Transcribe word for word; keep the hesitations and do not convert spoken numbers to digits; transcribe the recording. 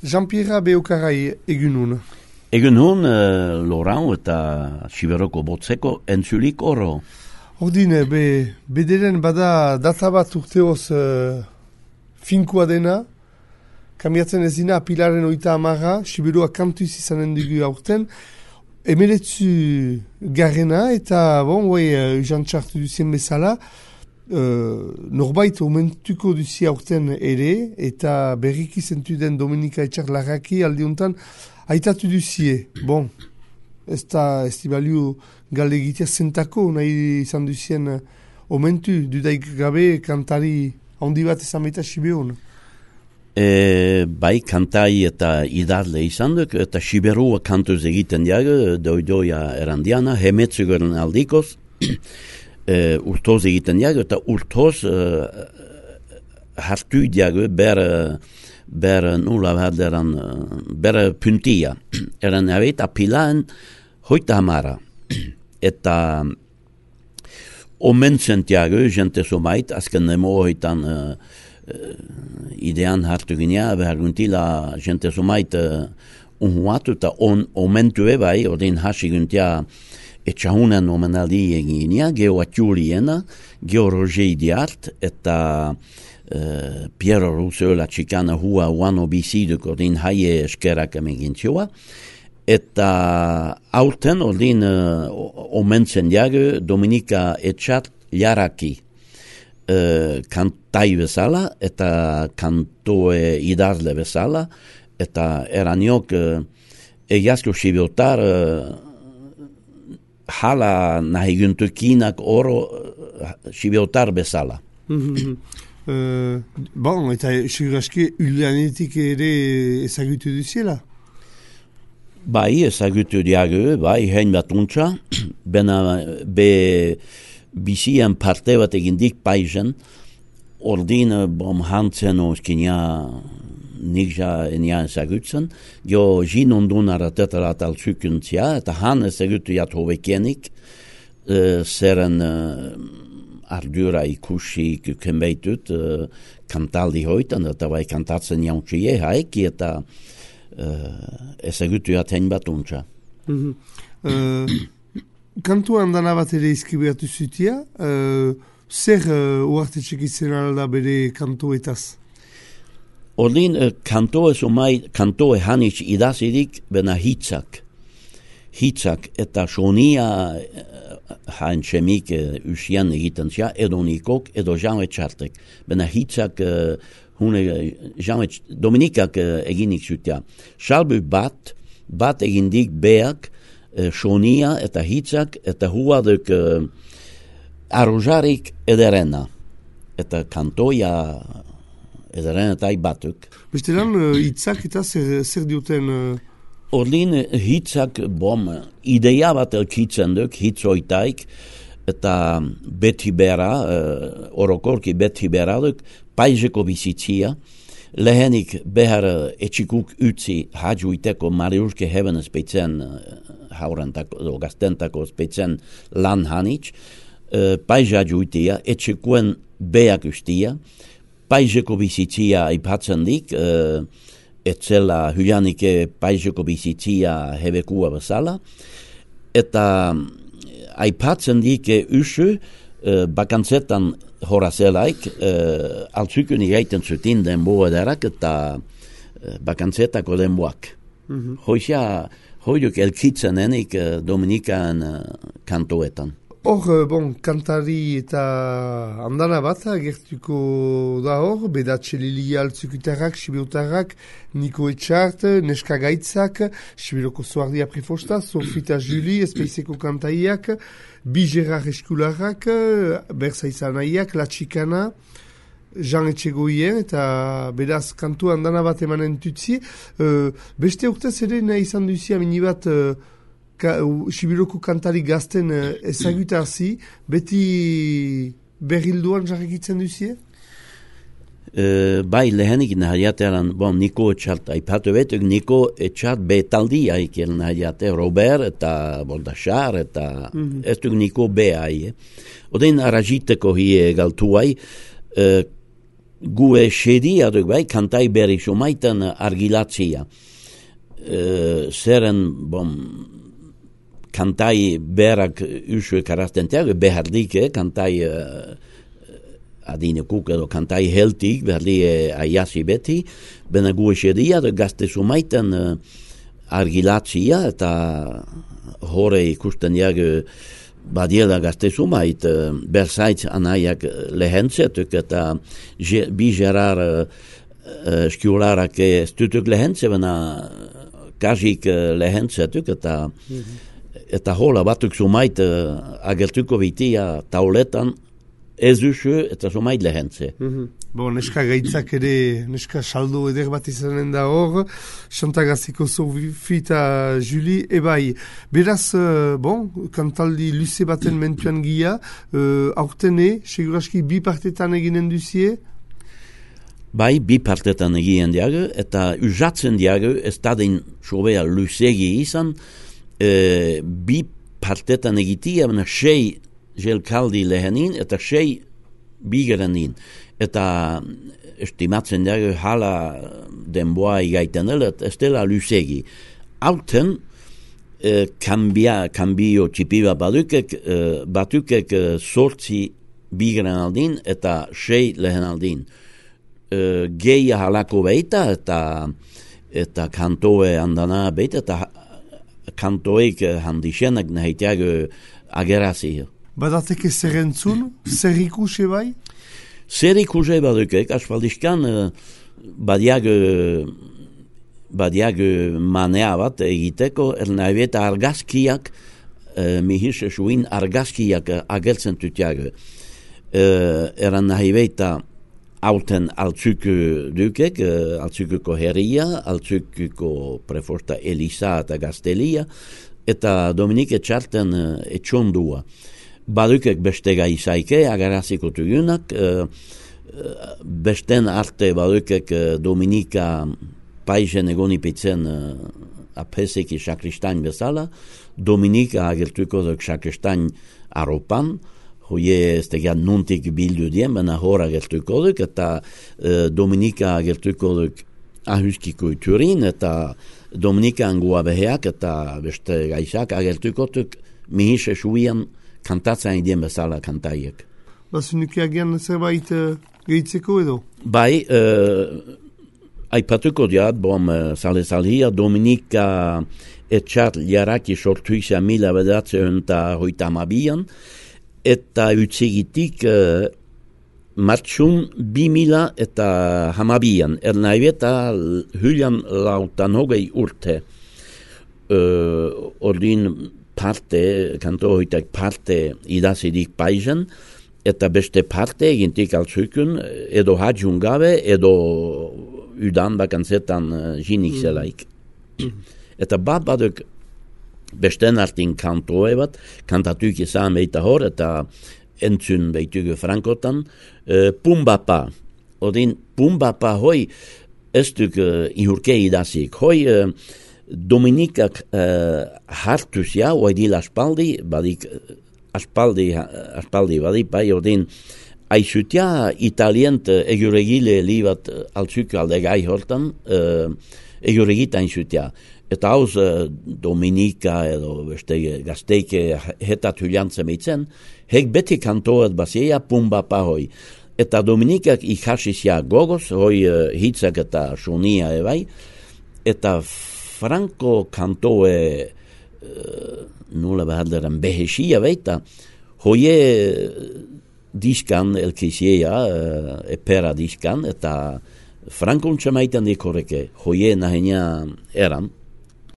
Jean-Pierre Beokarai egunun. Egunun, uh, Laurent eta Siberoko botzeko entzulik oro. Ordin, be, bederen bada data bat urteoz uh, finkua dena, kamiatzen ez dina apilaren oita amarra, Siberoa kantuz izanen dugu aurten, emeletzu garrena eta, bon, ue, uh, jantxartu duzien bezala, Uh, norbait omentuko duzi aurten ere, eta berriki zentu den Dominika Etxar Larraki aldiuntan aitatu duzie. Bon, ez da estibalio galde egitea zentako nahi izan duzien uh, omentu, dudaik gabe kantari handi bat ezan baita Sibeon. E, bai, kantai eta idazle izan duk, eta Siberua kantuz egiten diago, doidoia erandiana, hemetzugoren aldikoz, Uh, urtoz egiten diago, eta urtoz uh, hartu diago ber, ber nula baderan, ber puntia. Eran abeit apilaan hoita hamara. Eta omentzen diago, gente somait, azken nemo hoitan uh, uh, idean hartu ginia, beharguntila gente somait uh, unhuatu, eta on, omentu ebai, odin hasiguntia etxahunen omenaldi eginia, geo atjuliena, geo Roger Diart, eta uh, Piero Russo la Chicana hua uano bisiduk ordin haie eskerak emegintzioa, eta aurten ordin uh, omentzen diago Dominika Etxart Larraki uh, kantai bezala, eta kantoe idazle bezala, eta eraniok uh, egiazko sibiotar uh, hala nahi guntukinak oro sibiotar bezala. uh, bon, eta siguraski ulanetik ere ezagutu duziela? Bai, ezagutu diago, bai, hein bat untxa, bena be bizien parte bat egindik paizen, ordin bom hantzen oskinia nikja enia ezagutzen, jo jin ondun aratetrat alzukuntzia, eta han ezagutu jat hovekienik, uh, zeren uh, ardura ikusi kukenbeitut uh, kantaldi hoitan, eta bai kantatzen jauntxie haeki, eta uh, ezagutu jat hein bat untxa. Mm-hmm. uh, kantu handana bat ere izkibeatu zutia, uh, zer uh, uarte txekitzen alda bere kantuetaz? Ordin, uh, kantoe sumai, kantoe hanitz idazirik bena hitzak. Hitzak eta sonia uh, hain txemik uh, usien egiten zia, edo nikok, edo Jean Etxartek. Bena hitzak, uh, hune, Jean Etx, Dominikak uh, eginik zutia. Salbu bat, bat egindik beak, uh, sonia eta hitzak, eta huaduk uh, arrojarik ederena. Eta kantoia edaren eta batuk. Bestelan, hitzak eta zer, zer diuten? Uh... Orlin, hitzak, bom, ideia bat elkitzen duk, hitzoitaik, eta beti bera, uh, orokorki beti bera duk, paizeko bizitzia, lehenik behar etxikuk utzi hajuiteko mariuske heben speitzen, uh, haurentako, gaztentako speitzen lan hanitz, uh, paiza hajuitia, etxikuen beak ustia, paizeko bizitzia aipatzen dik, uh, etzela hyljanike paizeko bizitzia hebekua bezala, eta aipatzen dik usu uh, bakantzetan horazelaik, uh, altzukun igaiten zutin denboa derak, eta uh, bakantzetako denboak. Mm-hmm. Hoizia, hoiduk elkitzen enik uh, Dominikan uh, kantoetan. Hor, bon, kantari eta andana bat, gertuko da hor, bedatxe lilia altzukutarak, sibiotarrak, Niko Etxart, Neska Gaitzak, Sibiroko Zoardia Prefosta, Sofita Juli, Espeizeko kantaiak, Bi Gerard Eskularrak, Berza Izanaiak, La Chicana, Jean Etxegoien, eta bedaz kantu andana bat emanen tutzi. Uh, beste urtez ere nahi izan duzi amini bat, uh, Ka, uh, Sibiroko kantari gazten uh, ezagutarzi, beti berrilduan jarrekitzen duzie? Uh, bai, lehenik nahiatean, bon, Niko Etxart aipatu betuk, Niko Etxart betaldi aikel nahiate, Robert eta Boldasar, eta mm-hmm. ez duk Niko be ai. Oden arajiteko hie galtuai, uh, gue xedia duk bai, kantai berri sumaitan argilatzia. Uh, zeren, bom, kantai berak usue karazten teago, behardike, kantai uh, adinekuk edo kantai heltik, behardi aiasi beti, bena gue xedia duk gazte sumaitan uh, argilatzia, eta hore ikusten jago badiela gazte sumait, uh, berzaitz anaiak lehentzetuk, eta je, bi gerar uh, uh, skjularak stutuk lehentze, bena kasik uh, lehentzetuk, eta mm-hmm. eta hola batuk sumait uh, agertuko bitia tauletan, ez duzu eta sumait lehentze. Mm-hmm. Bon, neska gaitzak ere, neska saldo eder bat izanen da hor, Xantagaziko Zofita Juli, ebai, beraz, uh, bon, kantaldi luze baten mentuan gia, uh, aurtene, seguraski bi partetan eginen duzie? Bai, bi partetan eginen diago, eta usatzen diago, ez dadin sobea luzegi izan, uh, bi partetan egitia, bena sei jelkaldi lehenin, eta sei bigerenin. Eta estimatzen dago hala denboa igaiten dela, ez dela luzegi. Auten, eh, kambia, kambio txipiba badukek, eh, batukek eh, sortzi bigeren aldin eta sei lehen aldin. Eh, geia halako beita eta eta kantoe andana beita eta kantoek handixenak nahiteago agerazi. Badateke zer entzun, zer ikusi bai? Zer ikusi badukek, aspaldiskan uh, badiag, badiag manea bat egiteko, ernai eta argazkiak, uh, mihis esuin argazkiak agertzen tutiag. Uh, eran nahi beita auten altzuku dukek, uh, altzukuko herria, altzukuko preforta Elisa eta Gaztelia, eta Dominike txarten uh, etxondua. Badukek bestega izaike, agaraziko tugunak, uh, besten arte badukek uh, Dominika paizen egonipitzen uh, apeseki sakristain bezala, Dominika agertuko duk sakristain aropan, hoie ez tegian nuntik bildu dien, bena hor agertuko duk, eta uh, Dominika agertuko duk ahuskiko turin, eta Dominika angua beheak, eta beste gaizak agertuko duk mihis esuian kantatzen idien bezala kantaiek. Bazunik agian zerbait uh, gehitzeko edo? Bai, uh, aipatuko diat, bom, uh, sale salhia, Dominika etxat jaraki sortu izan mila bedatzen eta hoita amabian, eta utzigitik uh, martxun bi mila eta hamabian, ernai eta hyljan lautan hogei urte. Uh, ordin parte, kanto hoitak parte idazidik paizen, eta beste parte egintik altzukun, edo hadjun gabe, edo udan bakantzetan uh, jinik zelaik. Mm. Eta bat baduk besten artin kantoe bat, kantatuk izan beita hor, eta entzun beitugu frankotan, uh, pumbapa. Odin pumbapa hoi, ez duk uh, ihurke idazik, hoi uh, Dominikak uh, hartuz ja, oedil aspaldi, badik aspaldi, aspaldi badik, bai odin, aizutia italient eguregile li bat altzuk alde gai hortan, uh, eguregita aizutia. Eta hauz uh, Dominika edo beste gazteike hetat huliantzen meitzen, hek beti kantoet basia pumba pahoi. Eta Dominikak ikasizia gogoz, hoi uh, hitzak eta sunia ebai, eta Franco kantoe uh, nula behadleran behesia beita, hoie diskan elkizia, uh, epera diskan, eta Franco untxamaitan dikoreke, hoie nahenia eran,